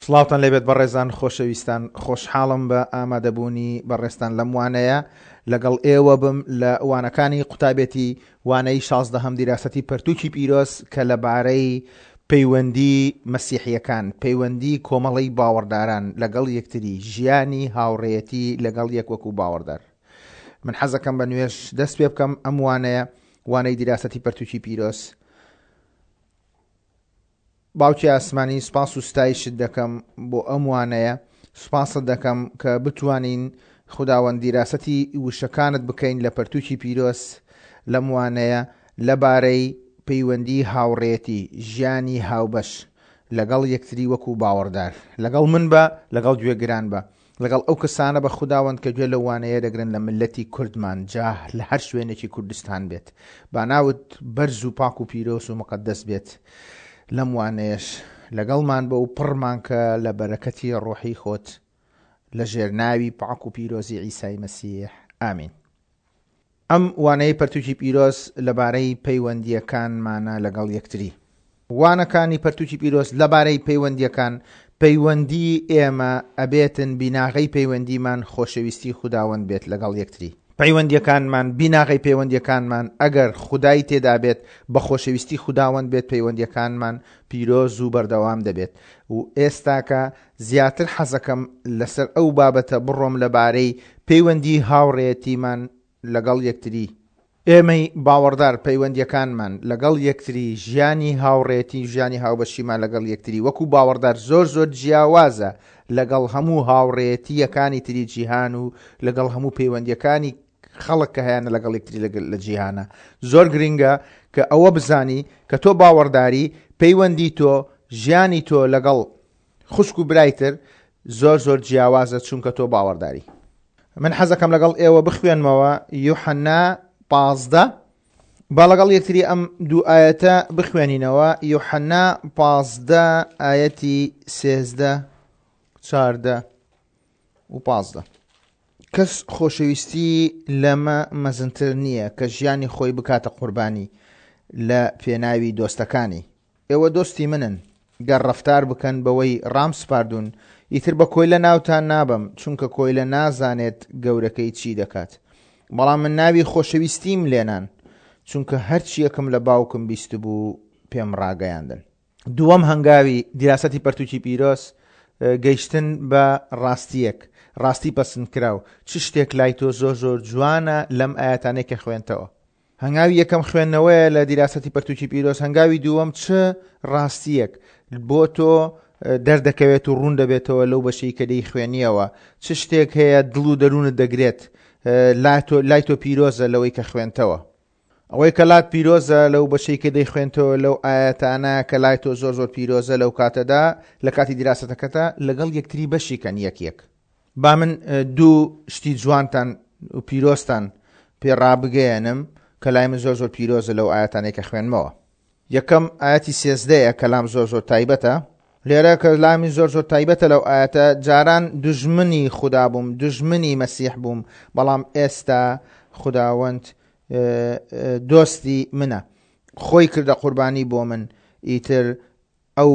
سڵاوتان لێبێت بەڕێزان خۆشەویستان خۆشحاڵم بە ئامادەبوونی بەڕێزتان لەم وانەیە لەگەڵ ئێوە بم لە وانەکانی قوتابێتی وانەی شازدەهەم دیراسەتی پەرتوکی پیرۆز کە لەبارەی پەیوەندی مەسیحیەکان پەیوەندی کۆمەڵەی باوەڕداران لەگەڵ یەکتری ژیانی هاوڕێیەتی لەگەڵ یەک وەکو باوەڕدار من حەزەکەم بە نوێژ دەست پێ بکەم ئەم وانەیە وانەی دیراسەتی پەرتوکی پیرۆز باوکی ئاسمانی سوپاس و ستایشت دەکەم بۆ ئەم وانەیە، سوپاست دەکەم کە بتوانین خوداوەند دیراسەتی وشەکانت بکەین لە پەرتوکی پیرۆز لەم وانەیە لەبارەی پەیوەندی هاوڕێیەتی، ژیانی هاوبەش لەگەڵ یەکتری وەکو باوەڕدار. لەگەڵ من بە، لەگەڵ گوێگران بە. لەگەڵ ئەو کەسانە بە خوداوەند کە گوێ لەو وانەیە دەگرن لە مللەتی کوردمان جا لە هەر شوێنێکی کوردستان بێت با ناوت بەرز و پاک و پیرۆز و مقەدەس بێت لەم وانەیەش لەگەڵمان بە و پڕمان کە لە بەرەکەتی ڕۆحی خۆت لە ژێر ناوی پاک و پیرۆزی عیسای مەسیح ئامین. ئەم وانەیەی پەرتوکی پیرۆز لەبارەی پەیوەندییەکانمانە لەگەڵ یەکتری. وانەکانی پەرتوکی پیرۆز لەبارەی پەیوەندییەکان، پەیوەندی ئێمە ئەبێتن بیناغەی پەیوەندیمان خۆشەویستی خوداوەند بێت لەگەڵ یەکتری. پەیوەندییەکانمان، بیناغەی پەیوەندییەکانمان ئەگەر خودای تێدا بێت، بە خۆشەویستی خوداوەند بێت پەیوەندییەکانمان پیرۆز و بەردەوام دەبێت و ئێستاکە زیاتر حەزەکەم لەسەر ئەو بابەتە بڕۆم لەبارەی پەیوەندی هاوڕێیەتیمان لەگەڵ یەکتری، ئێمەی باوەڕدار پەیوەندیەکانمان لەگەڵ یەکتری، ژیانی هاوڕێیەتی و ژیانی هاوبەشیمان لەگەڵ یەکتری وەکو باوەڕدار زۆر زۆر جیاوازە لەگەڵ هەموو هاوڕێیەتییەکانی تری جیهان و لەگەڵ هەموو پەیوەندیەکانی خەڵک کە هەیانە لەگەڵ یەکتری لە جیهانە. زۆر گرنگە کە ئەوە بزانی کە تۆ باوەڕداری، پەیوەندی تۆ، ژیانی تۆ لەگەڵ خوشک و برای تر زۆر زۆر جیاوازە چونکە تۆ باوەڕداری. من حەزەکەم لەگەڵ ئێوە بخوێنمەوە یوحەنا 15 با لەگەڵ یەکتری ئەم دوو ئایەتە بخوێنینەوە یوحەنا 15 ئایەتی سێزدە چاردە و پازدە. کەس خۆشەویستی لەمە مەزنتر نییە کە ژیانی خۆی بکاتە قوربانی لە پێناوی دۆستەکانی. ئێوە دۆستی منن گەر ڕەفتار بکەن بەوەی ڕامسپاردوون، ئیتر بە کۆیلە ناوتان نابەم، چونکە کۆیلە نازانێت گەورەکەی چی دەکات. بەڵام من ناوی خۆشەویستیم لێنان، چونکە هەرچییەکم لە باوکم بیستبوو پێم ڕاگەیاندن. دووەم هەنگاوی دیراسەتی پەرتوکی پیرۆز، گەیشتن بە ڕاستییەک، ڕاستی پەسندکراو، چ شتێک لای تۆ زۆر زۆر جوانە لەم ئایەتانەی کە خوێندتەوە؟ هەنگاوی یەکەم خوێندنەوەیە لە دیراسەتی پەرتوکی پیرۆز، هەنگاوی دووەم چ ڕاستییەک بۆ تۆ دەردەکەوێت و ڕوون دەبێتەوە لەو بەشەی کە دەیخوێنیەوە، چ شتێک هەیە دڵ و دەروونت دەگرێت لای تۆ پیرۆزە لەوەی کە خوێندتەوە. ئەوەی کە لات پیرۆزە لەو بەشەی کە دەیخوێنتەوە لەو ئایەتانە کە لای تۆ زۆر زۆر پیرۆزە لەو کاتەدا لە کاتی دیراسەتەکەتا لەگەڵ یەکتری بەشی کەن یەک یەک. با من دوو شتی جوانتان و پیرۆزتان پێ ڕابگەیەنم کە لای من زۆر زۆر پیرۆزە لەو ئایەتانەی کە خوێنمەوە. یەکەم ئایەتی سێزدەیە کە لام زۆر زۆر تایبەتە. لێرە کە لای من زۆر زۆر تایبەتە لەو ئایەتە، جاران دوژمنی خودا بووم، دوژمنی مەسیح بووم، بەڵام ئێستا خوداوەند دۆستی منە، خۆی کردە قوربانی بۆ من، ئیتر ئەو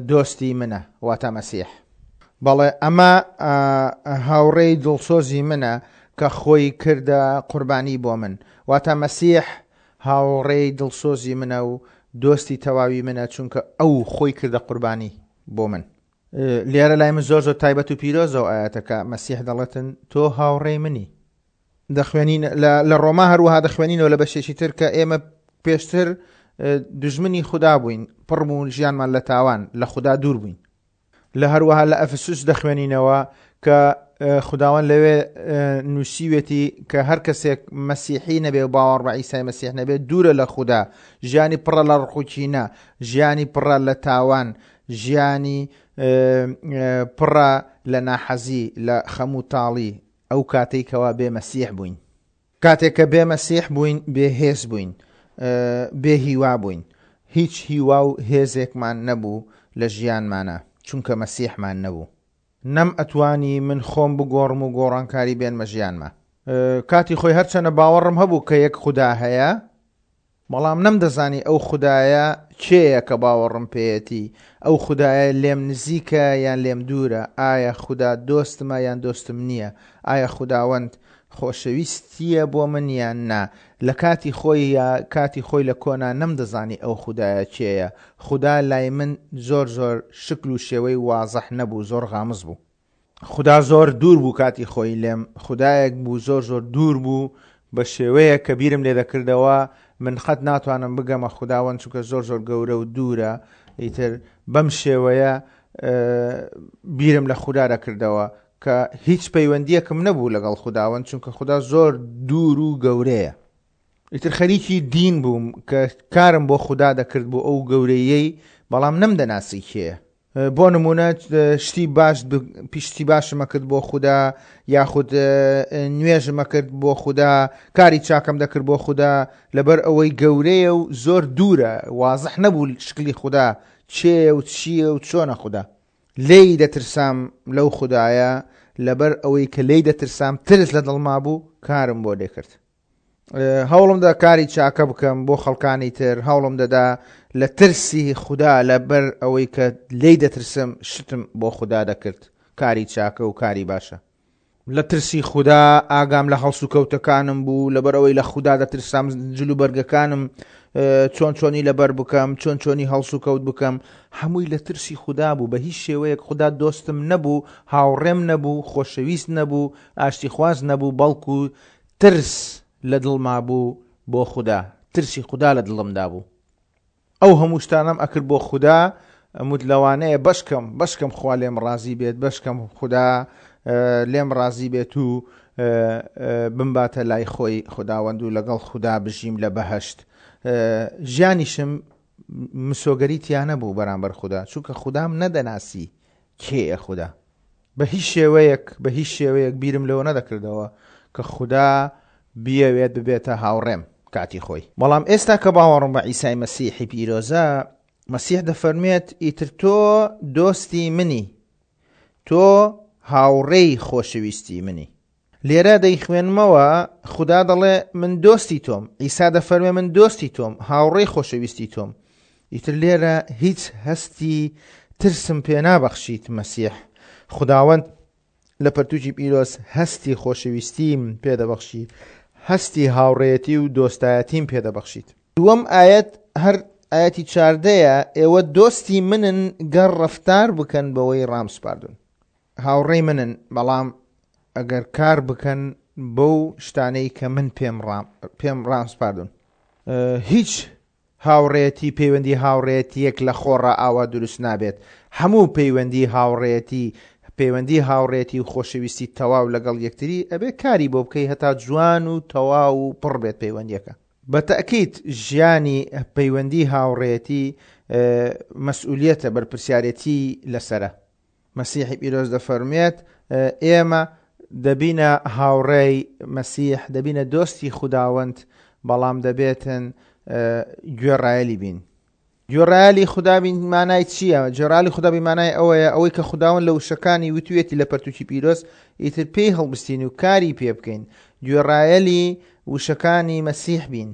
دۆستی منە، واتە مەسیح. بەڵێ، ئەمە هاوڕێی دڵسۆزی منە کە خۆی کردە قوربانی بۆ من. واتە مەسیح هاوڕێی دڵسۆزی منە و دۆستی تەواوی منە، چونکە ئەو خۆی کردە قوربانی بۆ من. لێرە لای من زۆر زۆر تایبەت و پیرۆزە ئەو ئایەتە کە مەسیح دەڵێتن تۆ هاوڕێی منی. دەخوێنین لە ڕۆما هەروەها دەخوێنینەوە لە بەشێکی تر کە ئێمە پێشتر دوژمنی خودا بووین پڕ بوون ژیانمان لە تاوان لە خودا دوور بووین لە هەروەها لە ئەفسوس دەخوێنینەوە کە خداوەند لەوێ نووسیوێتی کە هەر کەسێک مەسیحی نەبێ و باوەڕ بە ئیسای مەسیح نەبێت دوورە لە خودا ژیانی پڕە لە ڕقوچینە ژیانی پڕە لە تاوان ژیانی پڕە لە ناحەزی لە خەم و تاڵی ئەو کاتەی کەوا بێ مەسیح بووین. کاتێک کە بێ مەسیح بووین بێ هێز بووین، بێ هیوا بووین، هیچ هیوا و هێزێکمان نەبوو لە ژیانمانا، چونکە مەسیحمان نەبوو. نەم ئەتوانی من خۆم بگۆڕم و گۆڕانکاری بێنمە ژیانما. کاتی خۆی هەرچەنە باوەڕم هەبوو کە یەک خودا هەیە. بەڵام نەمدەزانی ئەو خودایە کێیە کە باوەڕم پێیەتی، ئەو خودایە لێم نزیکە یان لێم دوورە، ئایا خودا دۆستمە یان دۆستم نییە، ئایا خوداوەند خۆشەویستییە بۆ من یان نا، لە کاتی خۆی یا کاتی خۆی لە کۆنا نەمدەزانی ئەو خودایە کێیە، خودا لای من زۆر زۆر شکل و شێوەی وازح نەبوو زۆر غامز بوو. خودا زۆر دوور بوو کاتی خۆی لێم، خودایەک بوو زۆر زۆر دوور بوو بە شێوەیەک کە بیرم لێ دەکردەوە من قەت ناتوانم بگەمە خوداوەند چونکە زۆر زۆر گەورە و دوورە، ئیتر بەم شێوەیە بیرم لە خودا دەکردەوە کە هیچ پەیوەندیەکم نەبوو لەگەڵ خوداوەند چونکە خودا زۆر دوور و گەورەیە. ئیتر خەریکی دین بووم کە کارم بۆ خودا دەکرد بۆ ئەو گەورەیەی بەڵام نەمدەناسی کێیە. بۆ نمونە شتی باش پیشتی باشمە کرد بۆ خودا یاخود نوێژمە کرد بۆ خودا کاری چاکەم دەکرد بۆ خودا لەبەر ئەوەی گەورەیە و زۆر دوورە وازح نەبوو شکلی خودا چێە و چییە و چۆنە خودا لێی دەترسام لەو خودایە لەبەر ئەوەی کە لێی دەترسام ترس لە دڵما بوو کارم بۆ دەکرد هەوڵم دا کاری چاکە بکەم بۆ خەڵکانی تر هەوڵم دەدا لە ترسی خودا لەبەر ئەوەی کە لێی دەترسم شتم بۆ خودا دەکرد کاری چاکە و کاری باشە لە ترسی خودا ئاگام لە هەڵسوکەوتەکانم بوو لەبەر ئەوەی لە خودا دەترسام جل و بەرگەکانم چۆن چۆنی لەبەر بکەم چۆن چۆنی هەڵسوکەوت بکەم هەمووی لە ترسی خودا بوو بە هیچ شێوەیەک خودا دۆستم نەبوو هاوڕێم نەبوو خۆشەویست نەبوو ئاشتیخواز نەبوو بەڵکو ترس لە دڵما بوو بۆ خودا، ترسی خودا لە دڵمدا بوو. ئەو هەموو شتانەم ئەکرد بۆ خودا، ئەموت لەوانەیە بەشکەم، بەشکەم خوا لێم ڕازی بێت، بەشکەم خودا لێم ڕازی بێت و بمباتە لای خۆی خوداوەند و لەگەڵ خودا بژیم لە بەهەشت. ژیانیشم مسۆگەری تیا نەبوو بەرامبەر خودا، چونکە خودام نەدەناسی کێیە خودا. بە هیچ شێوەیەک بە هیچ شێوەیەک بیرم لەوە نەدەکردەوە کە خودا بیەوێت ببێتە هاوڕێم کاتی خۆی. بەڵام ئێستا کە باوەڕم بە عیسای مەسیحی پیرۆزە، مەسیح دەفەرموێت ئیتر تۆ دۆستی منی، تۆ هاوڕێی خۆشەویستی منی. لێرە دەیخوێنمەوە، خودا دەڵێ من دۆستی تۆم، عیسا دەفەرمێ من دۆستی تۆم، هاوڕێی خۆشەویستی تۆم. ئیتر لێرە هیچ هەستی ترسم پێ نابەخشیت مەسیح. خوداوەند لە پەرتوکی پیرۆز هەستی خۆشەویستیم پێ دەبەخشی، هەستی هاوڕێیەتی و دۆستایەتیم پێ دەبەخشیت. دووەم ئایەت هەر ئایەتی چاردەیە، ئێوە دۆستی منن گەر ڕەفتار بکەن بەوەی ڕامسپاردوون. هاوڕێی منن بەڵام ئەگەر کار بکەن بەو شتانەی کە من پێم پێم ڕاسپاردون هیچ هاوڕێتی پەیوەندی هاوڕێتیەک لە خۆڕا ئاوا دروست نابێت هەموو پەیوەندی هاوڕێتی پەیوەندی هاوڕێتی و خۆشەویستی تەواو لەگەڵ یەکتری ئەبێ کاری بۆ بکەی هەتا جوان و تەواو و پڕ بێت پەیوەندیەکە بە تەئکید ژیانی پەیوەندی هاوڕێتی مەسئولیەتە بەرپرسیارێتی لەسەرە مەسیحی پیرۆز دەفەرموێت، ئێمە دەبینە هاوڕێی مەسیح، دەبینە دۆستی خوداوەند، بەڵام دەبێتن گوێڕایەلی بین. گوێڕایەلی خودا بین مانای چییە؟ گوێڕایەلی خودا بین مانای ئەوەیە ئەوەی کە خوداوەند لە وشەکانی وتوێتی لە پەرتوکی پیرۆز ئیتر پێی هەڵبستین و کاری پێ بکەین. گوێڕایەلی وشەکانی مەسیح بین.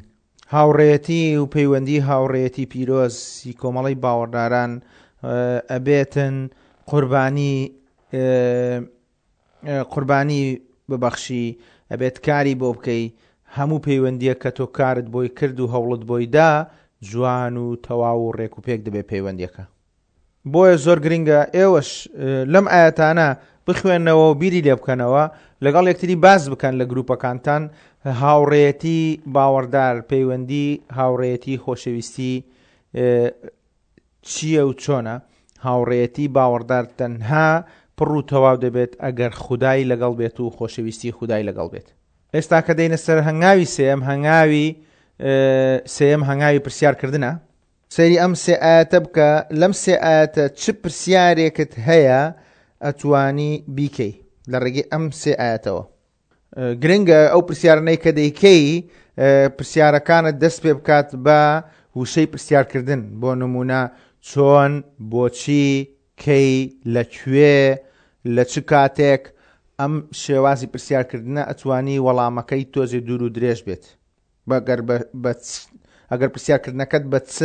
هاوڕێیەتی و پەیوەندی هاوڕێیەتی پیرۆز ی کۆمەڵەی باوەڕداران ئەبێتن قوربانی قوربانی ببەخشی ئەبێت کاری بۆ بکەی هەموو پەیوەندیەک کە تۆ کارت بۆی کرد و هەوڵت بۆی دا جوان و تەواو و ڕێک و پێک دەبێت پەیوەندیەکە. بۆیە زۆر گرنگە ئێوەش لەم ئایەتانە بخوێنەوە و بیری لێ بکەنەوە لەگەڵ یەکتری باس بکەن لە گروپەکانتان هاوڕێیەتی باوەڕدار پەیوەندی هاوڕێیەتی خۆشەویستی چییە و چۆنە هاوڕێیەتی باوەڕدار تەنها پڕ و تەواو دەبێت ئەگەر خودای لەگەڵ بێت و خۆشەویستی خودای لەگەڵ بێت ئێستا کە دێینە سەر هەنگاوی سێیەم هەنگاوی سێیەم هەنگاوی پرسیارکردنە سەیری ئەم سێ ئایەتە بکە لەم سێ ئایەتە چ پرسیارێکت هەیە ئەتوانی بیکەی لە ڕێگەی ئەم سێ ئایەتەوە گرنگە ئەو پرسیارانەی کە دەیکەی پرسیارەکانت دەست پێ بکات بە وشەی پرسیارکردن بۆ نمونە چۆن بۆچی کەی لە کوێ لە چ کاتێک ئەم شێوازی پرسیارکردنە ئەتوانی وەڵامەکەی تۆزێ دوور و درێژ بێت. گەر بە ئەگەر پرسیارکردنەکەت بە چ،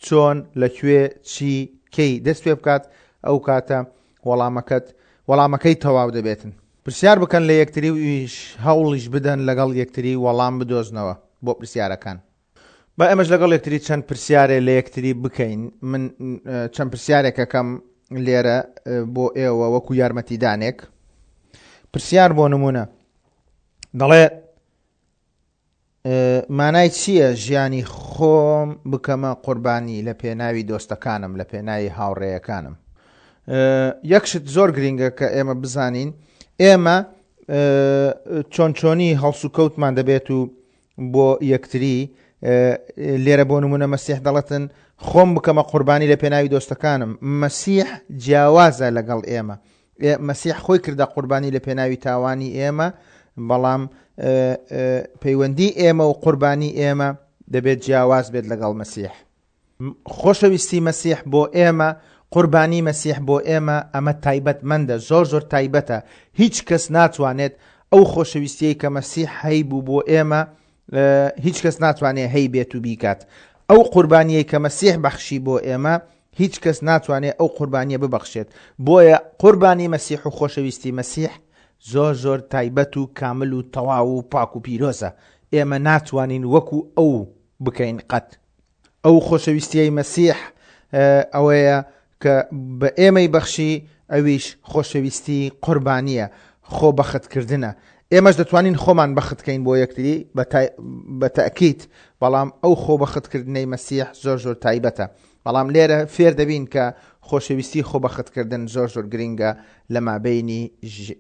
چۆن، لە کوێ، چی، کەی دەست پێ بکات، ئەو کاتە وەڵامەکەت وەڵامەکەی تەواو دەبێتن. پرسیار بکەن لە یەکتری و هەوڵیش بدەن لەگەڵ یەکتری وەڵام بدۆزنەوە بۆ پرسیارەکان. با ئێمەش لەگەڵ یەکتری چەند پرسیارێ لە یەکتری بکەین. من چەند پرسیارێک ئەکەم لێرە بۆ ئێوە وەکو یارمەتیدانێک. پرسیار بۆ نمونە دەڵێ مانای چییە ژیانی خۆم بکەمە قوربانی لە پێناوی دۆستەکانم لە پێناوی هاوڕێیەکانم؟ یەک شت زۆر گرینگە کە ئێمە بزانین ئێمە چۆن چۆنی هەڵسوکەوتمان دەبێت و بۆ یەکتری لێرە بۆ نمونە مەسیح دەڵێتن خۆم بکەمە قوربانی لە پێناوی دۆستەکانم مەسیح جیاوازە لەگەڵ ئێمە مەسیح خۆی کردە قوربانی لە پێناوی تاوانی ئێمە بەڵام پەیوەندی ئێمە و قوربانی ئێمە دەبێت جیاواز بێت لەگەڵ مەسیح خۆشەویستی مەسیح بۆ ئێمە قوربانی مەسیح بۆ ئێمە ئەمە تایبەتمەندە زۆر زۆر تایبەتە هیچ کەس ناتوانێت ئەو خۆشەویستیەی کە مەسیح هەیبوو بۆ ئێمە هیچ کەس ناتوانێت هەیبێت و بیکات ئەو قوربانیەی کە مەسیح بەخشی بۆ ئێمە هیچ کەس ناتوانێت ئەو قوربانیە ببەخشێت بۆیە قوربانی مەسیح و خۆشەویستی مەسیح زۆر زۆر تایبەت و کامل و تەواو و پاک و پیرۆزە ئێمە ناتوانین وەکو ئەو بکەین قەت ئەو خۆشەویستیەی مەسیح ئەوەیە کە بە ئێمەی بەخشی ئەویش خۆشەویستی قوربانیە خۆ بەختکردنە ئێمەش دەتوانین خۆمان بەختکەین بۆ یەکتری بە تەئکید بەڵام ئەو خۆ بەختکردنەی مەسیح زۆر زۆر تایبەتە بەڵام لێرە فێر دەبین کە خۆشەویستی خۆ بەختکردن زۆر زۆر گرینگە لە مابەینی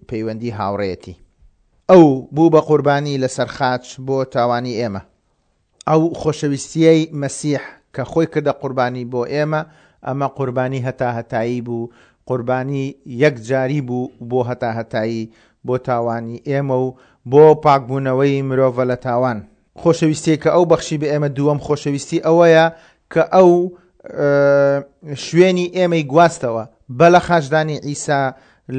پەیوەندی هاوڕێیەتی ئەو بوو بە قوربانی لەسەر خاچ بۆ تاوانی ئێمە. ئەو خۆشەویستییەی مەسیح کە خۆی کردە قوربانی بۆ ئێمە، ئەمە قوربانی هەتاهەتایی بوو، قوربانی یەک جاری بوو بۆ هەتاهەتایی بۆ تاوانی ئێمە و بۆ پاکبوونەوەی مرۆڤە لە تاوان. خۆشەویستیی کە ئەو بەخشی بە ئێمە دووەم خۆشەویستی ئەوەیە کە ئەو شوێنی ئێمەی گواستەوە بە لە خاچدانی عیسا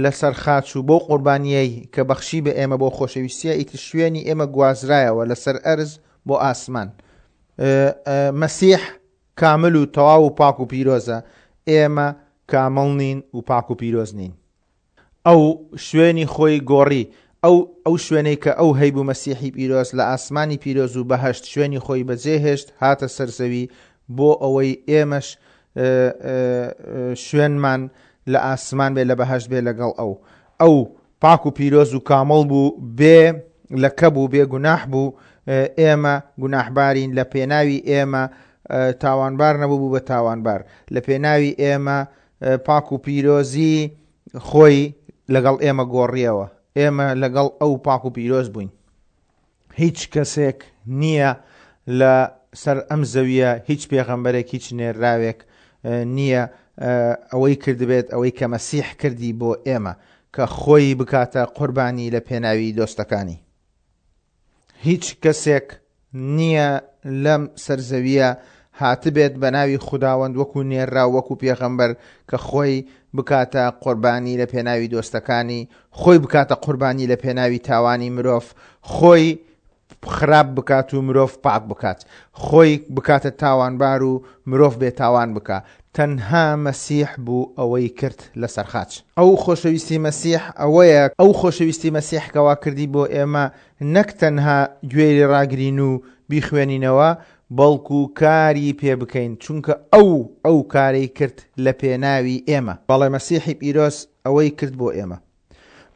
لەسەر خاچ و بەو قوربانییەی کە بەخشی بە ئێمە بۆ خۆشەویستییە ئیتر شوێنی ئێمە گوازرایەوە لەسەر ئەرز بۆ ئاسمان. مەسیح کامل و تەواو و پاک و پیرۆزە، ئێمە کامڵ نین و پاک و پیرۆز نین. ئەو شوێنی خۆی گۆڕی، ئەو ئەو شوێنەی کە ئەو هەیبوو مەسیحی پیرۆز لە ئاسمانی پیرۆز و بەهەشت شوێنی خۆی بەجێهێشت هاتە سەر زەوی بۆ ئەوەی ئێمەش شوێنمان لە ئاسمان بێ لە بەهەشت بێ لەگەڵ ئەو. ئەو پاک و پیرۆز و کامڵ بوو، بێ لەکە بوو، بێ گوناح بوو، ئێمە گوناحبارین، لە پێناوی ئێمە تاوانبار نەبوو بوو بە تاوانبار، لە پێناوی ئێمە پاک و پیرۆزی خۆی لەگەڵ ئێمە گۆڕیەوە، ئێمە لەگەڵ ئەو پاک و پیرۆز بووین. هیچ کەسێک نییە لە سەر ئەم زەویە هیچ پێغەمبەرێک هیچ نێرراوێک نییە ئەوەی کردبێت ئەوەی کە مەسیح کردی بۆ ئێمە کە خۆی بکاتە قوربانی لە پێناوی دۆستەکانی. هیچ کەسێک نییە لەم سەر زەویە هاتبێت بە ناوی خوداوەند وەکو نێرراو وەکو پێغەمبەر کە خۆی بکاتە قوربانی لە پێناوی دۆستەکانی، خۆی بکاتە قوربانی لە پێناوی تاوانی مرۆڤ، خۆی خراپ بکات و مرۆڤ پاک بکات، خۆی بکاتە تاوانبار و مرۆڤ بێ تاوان بکا، تەنها مەسیح بوو ئەوەی کرد لەسەر خاچ. ئەو خۆشەویستی مەسیح ئەوەیە، ئەو خۆشەویستی مەسیح کەوا کردی بۆ ئێمە نەک تەنها گوێی لێ ڕاگرین و بیخوێنینەوە، بەڵکو کاری پێ بکەین، چونکە ئەو ئەو کارەی کرد لە پێناوی ئێمە. بەڵێ مەسیحی پیرۆز ئەوەی کرد بۆ ئێمە.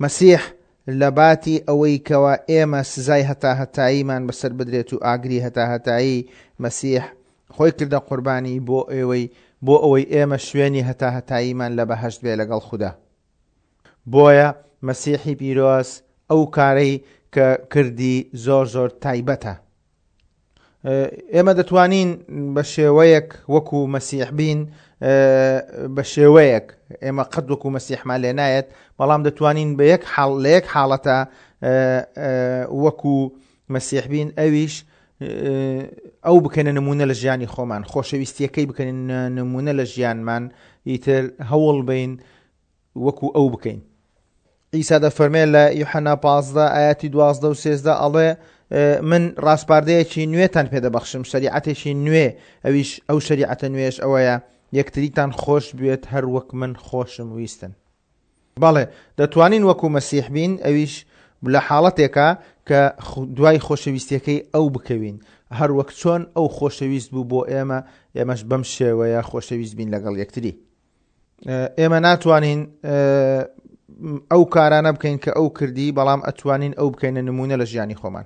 مەسیح لە باتی ئەوەی کەوا ئێمە سزای هەتاهەتاییمان بەسەر بدرێت و ئاگری هەتاهەتایی، مەسیح خۆی کردە قوربانی بۆ ئێوەی بۆ ئەوەی ئێمە شوێنی هەتاهەتاییمان لە بەهەشت بێ لەگەڵ خودا. بۆیە مەسیحی پیرۆز ئەو کارەی کە کردی زۆر زۆر تایبەتە. ئێمە دەتوانین بە شێوەیەک وەکو مەسیح بین بە شێوەیەک ئێمە قەت وەکو مەسیحمان لێ نایەت بەڵام دەتوانین بە یەک حاڵ لە یەک حاڵەتە وەکو مەسیح بین ئەویش ئەو بکەنە نمونە لە ژیانی خۆمان خۆشەویستیەکەی بکەن نمونە لە ژیانمان ئیتر هەوڵ بین وەکو ئەو بکەین. عیسا دەفەرمێ لە یوحەنا 15 ئاەتی 12 و 13 ئەڵێ من ڕاسپاردەیەکی نوێتان پێدەبەخشم شەریعەتێکی نوێ ئەویش ئەو شەریعەتە نوێش ئەوەیە یەکتریتان خۆش بوێت هەر وەک من خۆشم ویستن. بەڵێ دەتوانین وەکو مەسیح بین ئەویش لە حاڵەتێکا کە دوای خۆشەویستیەکەی ئەو بکەوین هەر وەک چۆن ئەو خۆشەویست بوو بۆ ئێمە ئێمەش بەم شێوەیە خۆشەویست بین لەگەڵ یەکتری. ئێمە ناتوانین ئەو کارانە بکەین کە ئەو کردی بەڵام ئەتوانین ئەو بکەینە نمونە لە ژیانی خۆمان.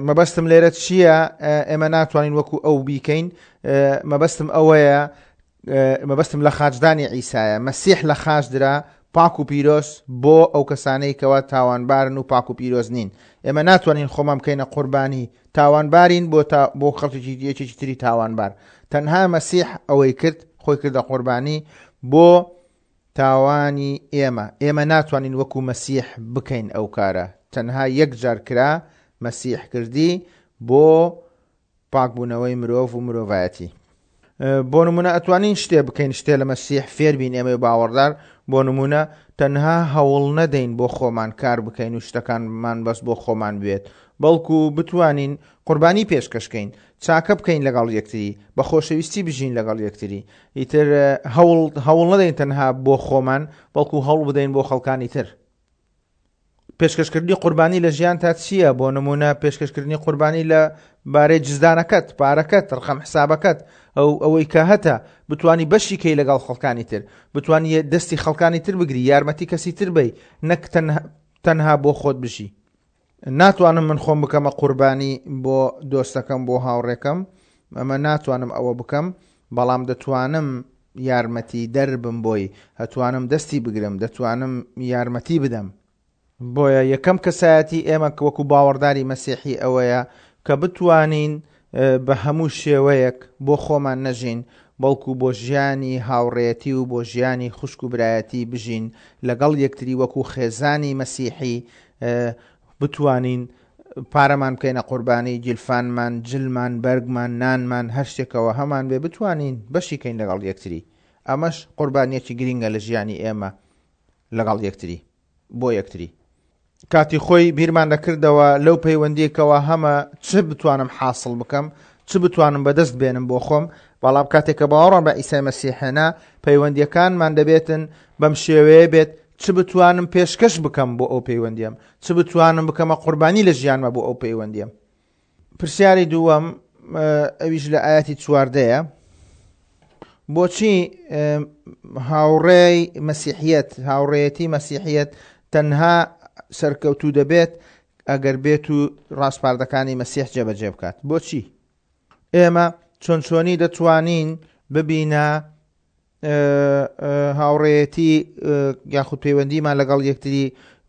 مەبەستم لێرە چییە ئێمە ناتوانین وەکو ئەو بیکەین مەبەستم ئەوەیە مەبەستم لە خاچدانی عیسایە مەسیح لە خاچ درا پاک و پیرۆز بۆ ئەو کەسانەی کەوا تاوانبارن و پاک و پیرۆز نین ئێمە ناتوانین خۆمان بکەینە قوربانی تاوانبارین بۆ تا بۆ خەڵکێکی یەکێکی تری تاوانبار تەنها مەسیح ئەوەی کرد خۆی کردە قوربانی بۆ تاوانی ئێمە، ئێمە ناتوانین وەکو مەسیح بکەین ئەو کارە، تەنها یەک جار کرا، مەسیح کردی بۆ پاکبوونەوەی مرۆڤ و مرۆڤایەتی. بۆ نمونە ئەتوانین شتێ بکەین شتێ لە مەسیح فێربین ئێمەی باوەڕدار، بۆ نمونە تەنها هەوڵ نەدەین بۆ خۆمان کار بکەین و شتەکانمان بەس بۆ خۆمان بوێت، بەڵکو بتوانین قوربانی پێشکەش کەین، چاکە بکەین لەگەڵ یەکتری، بە خۆشەویستی بژین لەگەڵ یەکتری. ئیتر هەوڵ هەوڵ نەدەین تەنها بۆ خۆمان، بەڵکو هەوڵ بدەین بۆ خەڵکانی تر. پێشکەشکردنی قوربانی لە ژیانتا چییە؟ بۆ نمونە پێشکەشکردنی قوربانی لە بارەی جزدانەکەت، پارەکەت، ڕقم حسابەکەت، ئەو ئەوەی کە هەتە، بتانی بەشی کەی لەگەڵ خەڵکانی تر، بتانی دەستی خەڵکانی تر بگری، یارمەتی کەسی تر بەی، نەک تەنها بۆ خۆت بژی. ناتوانم من خۆم بکەمە قوربانی بۆ دۆستەکەم بۆ هاوڕێکەم ئەمە ناتوانم ئەوە بکەم بەڵام دەتوانم یارمەتی دەربم بۆی هەتوانم دەستی بگرم دەتوانم یارمەتی بدەم بۆیە یەکەم کەسایەتی ئێمە وەکو باوەڕداری مەسیحی ئەوەیە کە بتوانین بە هەموو شێوەیەک بۆ خۆمان نەژین بەڵکو بۆ ژیانی هاوڕێیەتی و بۆ ژیانی خوشک و برایەتی بژین لەگەڵ یەکتری وەکو خێزانی مەسیحی بتوانین پارەمان بکەینە قوربانی گیرفانمان، جلمان، بەرگمان، نانمان، هەر شتێکەوە هەمان بێ بتوانین بەشی کەین لەگەڵ یەکتری. ئەمەش قوربانیەکی گرینگە لە ژیانی ئێمە لەگەڵ یەکتری بۆ یەکتری. کاتی خۆی بیرمان دەکردەوە لەو پەیوەندیەکەوە هەمە چ بتوانم حاصل بکەم چ بتوانم بەدەست بێنم بۆ خۆم بەڵام کاتێک کە باوەڕم بە عیسای مەسیح هێنا پەیوەندیەکانمان دەبێتن بەم شێوەیە بێت چ بتوانم پێشکەش بکەم بۆ ئەو پەیوەندیەم چ بتوانم بکەمە قوربانی لە ژیانمە بۆ ئەو پەیوەندیەم پرسیاری دووەم ئەویش لە ئاەتی چواردەیە بۆچی هاوڕێی مەسیحیەت هاوڕێیەتی مەسیحیەت تەنها سەرکەوتوو دەبێت ئەگەر بێت و ڕاسپاردەکانی مەسیح جێبەجێ بکات بۆچی ئێمە چۆن چۆنی دەتوانین ببینە هاوڕێیەتی یاخود پەیوەندیمان لەگەڵ یەکتری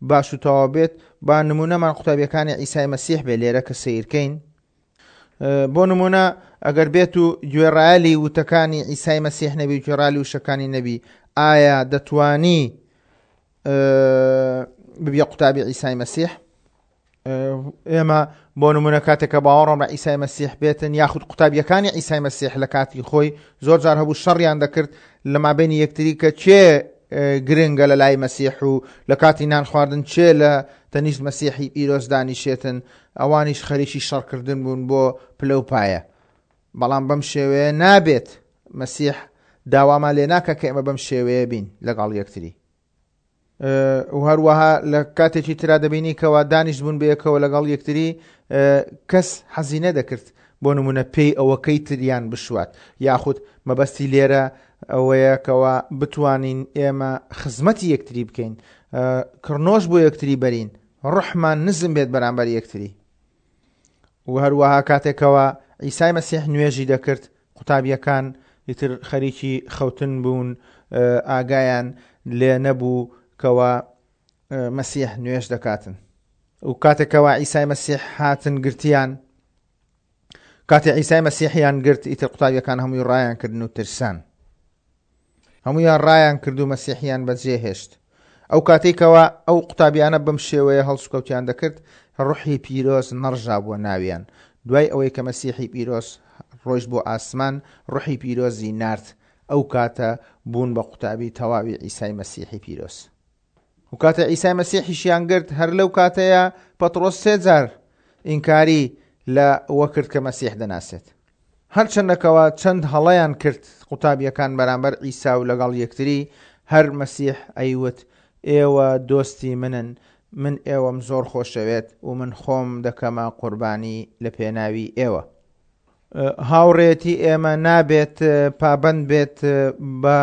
باش و تەواو بێت با نمونەمان قوتابیەکانی عیسای مەسیح بێ لێرە کە سیرکەین بۆ نمونە ئەگەر بێت و گوێڕایەلی وتەکانی عیسای مەسیح نەبی گوێڕالی وشەکانی نەبی ئایا دەتوانی ببیە قوتابی عیسای مەسیح ئێمە بۆ نمونە کاتێک کە باوەڕم بە عیسای مەسیح بێتن یاخود قوتابیەکانی عیسای مەسیح لە کاتی خۆی زۆر جار هەبوو شەڕیان دەکرد لە مابینی یەکتری کە کێ گرنگە لە لای مەسیح و لە کاتی نان خواردن چێ لە تەنیشت مەسیحی پیرۆز دانیشێتن ئەوانیش خەریکی شەڕکردن بوون بۆ پلە و پایە بەڵام بەم شێوەیە نابێت مەسیح داوامان لێ ناکە کە ئێمە بەم شێوەیە بین لەگەڵ یەکتری و هەروەها لە کاتێکی ترا دەبینی کەوا دانیشت بوون بەیەکەوە لەگەڵ یەکتری کەس حەزی نەدەکرد بۆ نمونە پێی ئەوەکەی تریان بشوات یاخود مەبەستی لێرە ئەوەیە کەوا بتوانین ئێمە خزمەتی یەکتری بکەین کڕنۆش بۆ یەکتری بەرین ڕحمان نزم بێت بەرامبەر یەکتری و هەروەها کاتێکەوە عیسای مەسیح نوێژی دەکرد قوتابیەکان ئیتر خەریکی خەوتن بوون ئاگایان لێ نەبوو کەوا مەسیح نوێژ دەکاتن و کاتێکەوە عیسای مەسیح هاتن گرتیان کاتێ عیسای مەسیحیان گرت ئیتر قوتابیەکان هەمووی ڕایان کردن و ترسان هەموویان ڕایان کرد و مەسیحیان بەجێ هێشت. ئەو کاتەی کەوا ئەو قوتابیانە بەم شێوەیە هەڵسوکەوتیان دەکرد، ڕوحی پیرۆز نەڕژابووە ناویان. دوای ئەوەی کە مەسیحی پیرۆز ڕۆیشت بۆ ئاسمان، ڕوحی پیرۆزی نارد، ئەو کاتە بوون بە قوتابی تەواوی عیسای مەسیحی پیرۆز. و کاتێ عیسای مەسیحیشیان گرت هەر لەو کاتەیە پەتڕۆس سێ جار ئینکاری لە وە کرد کە مەسیح دەناسێت. هەرچەندە کەوا چەند هەڵەیان کرد قوتابیەکان بەرامبەر عیسا و لەگەڵ یەکتری، هەر مەسیح ئەیوت ئێوە دۆستی منن، من ئێوەم زۆر خۆشەوێت و من خۆم دەکەمە قوربانی لە پێناوی ئێوە. هاوڕێیەتی ئێمە نابێت پابەند بێت بە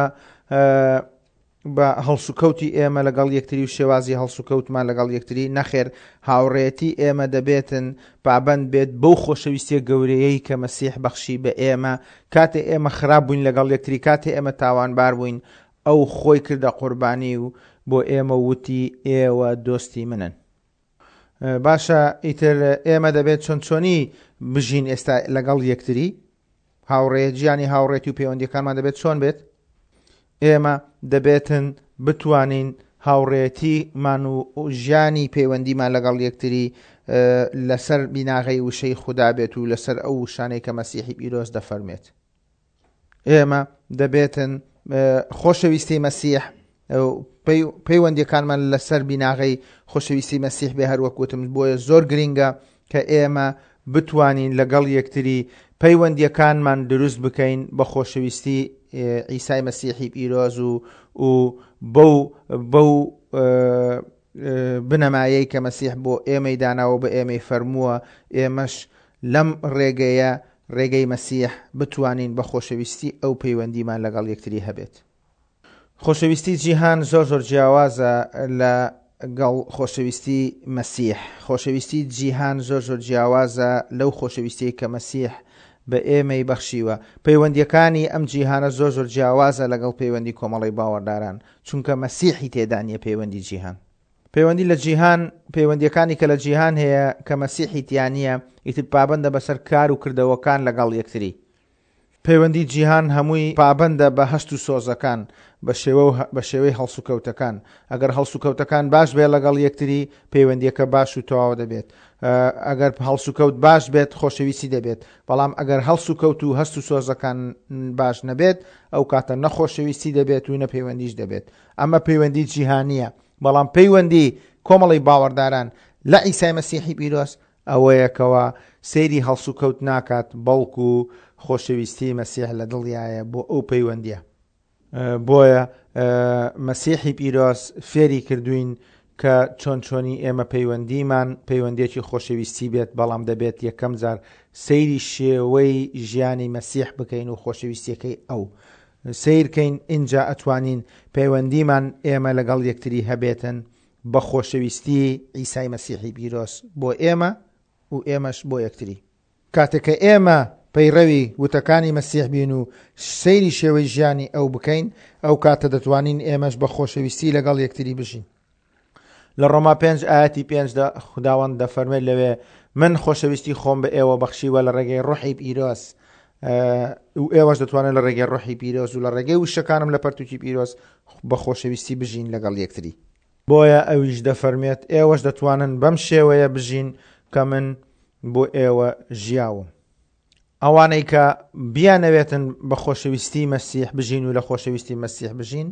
بە هەڵسوکەوتی ئێمە لەگەڵ یەکتری و شێوازی هەڵسوکەوتمان لەگەڵ یەکتری، نەخێر هاوڕێیەتی ئێمە دەبێتن پابەند بێت بەو خۆشەویستیە گەورەیەی کە مەسیح بەخشی بە ئێمە، کاتێ ئێمە خراپ بووین لەگەڵ یەکتری، کاتێ ئێمە تاوانبار بووین، ئەو خۆی کردە قوربانی و بۆ ئێمە وتی ئێوە دۆستی منن. باشە ئیتر ئێمە دەبێت چۆن چۆنی بژین ئێستا لەگەڵ یەکتری؟ هاوڕێ ژیانی هاوڕێتی و پەیوەندیەکانمان دەبێت چۆن بێت؟ ئێمە دەبێتن بتوانین هاوڕێتیمان و ژیانی پەیوەندیمان لەگەڵ یەکتری لەسەر بیناغەی وشەی خودا بێت و لەسەر ئەو وشانەی کە مەسیحی پیرۆز دەفەرمێت. ئێمە دەبێتن خۆشەویستی مەسیح پەیوەندیەکانمان لەسەر بیناغەی خۆشەویستی مەسیح بێ هەروەک وتم بۆیە زۆر گرینگە کە ئێمە بتوانین لەگەڵ یەکتری پەیوەندیەکانمان دروست بکەین بە خۆشەویستی عیسای مەسیحی پیرۆز و و بەو بەو بنەمایەی کە مەسیح بۆ ئێمەی داناوە بە ئێمەی فەرمووە ئێمەش لەم ڕێگەیە ڕێگەی مەسیح بتوانین بە خۆشەویستی ئەو پەیوەندیمان لەگەڵ یەکتری هەبێت. خۆشەویستی جیهان زۆر زۆر جیاوازە لە گەڵ خۆشەویستی مەسیح. خۆشەویستی جیهان زۆر زۆر جیاوازە لەو خۆشەویستیەی کە مەسیح بە ئێمەی بەخشیوە. پەیوەندیەکانی ئەم جیهانە زۆر زۆر جیاوازە لەگەڵ پەیوەندی کۆمەڵەی باوەڕداران، چونکە مەسیحی تێدا نیە پەیوەندی جیهان. پەیوەندی لە جیهان، پەیوەندیەکانی کە لە جیهان هەیە کە مەسیحی تیا نیە، ئیتر پابەندە بەسەر کار و کردەوەکان لەگەڵ یەکتری. پەیوەندی جیهان هەمووی پابەندە بە هەست و سۆزەکان، بە شێوە و بە شێوەی هەڵسوکەوتەکان. ئەگەر هەڵسوکەوتەکان باش بێت لەگەڵ یەکتری، پەیوەندیەکە باش و تەواو دەبێت. ئەگەر هەڵسوکەوت باش بێت، خۆشەویستی دەبێت. بەڵام ئەگەر هەڵسوکەوت و هەست و سۆزەکان باش نەبێت، ئەو کاتە نە خۆشەویستی دەبێت و نە پەیوەندیش دەبێت. ئەمە پەیوەندی جیهانیە. بەڵام پەیوەندی کۆمەڵی باوەڕداران لە عیسای مەسیحی پیرۆز ئەوەیە کەوا سەیری هەڵسوکەوت ناکات بەڵکو خۆشەویستی مەسیح لە دڵیایە بۆ ئەو پەیوەندیە. بۆیە مەسیحی پیرۆز فێری کردوین کە چۆن چۆنی ئێمە پەیوەندیمان پەیوەندیەکی خۆشەویستی بێت بەڵام دەبێت یەکەم جار سەیری شێوەی ژیانی مەسیح بکەین و خۆشەویستیەکەی ئەو سەیرکەین ئینجا ئەتوانین پەیوەندیمان ئێمە لەگەڵ یەکتری هەبێتن بە خۆشەویستی عیسای مەسیحی پیرۆز بۆ ئێمە و ئێمەش بۆ یەکتری. کاتێک کە ئێمە پەیڕەوی وتەکانی مەسیح بین و سەیری شێوەی ژیانی ئەو بکەین، ئەو کاتە دەتوانین ئێمەش بە خۆشەویستی لەگەڵ یەکتری بژین. لە ڕۆما پێنج ئایەتی پێنجدا خوداوەند دەفەرمێت لەوێ من خۆشەویستی خۆم بە ئێوە بەخشیوە لە ڕێگەی ڕۆحی پیرۆز و ئێوەش دەتوانن لە ڕێگەی ڕۆحی پیرۆز و لە ڕێگەی وشەکانم لە پەرتوکی پیرۆز بە خۆشەویستی بژین لەگەڵ یەکتری. بۆیە ئەویش دەفەرمێت ئێوەش دەتوانن بەم شێوەیە بژین کە من بۆ ئێوە ژیاوم. ئەوانەی کە بیانەوێتن بە خۆشەویستی مەسیح بژین و لە خۆشەویستی مەسیح بژین،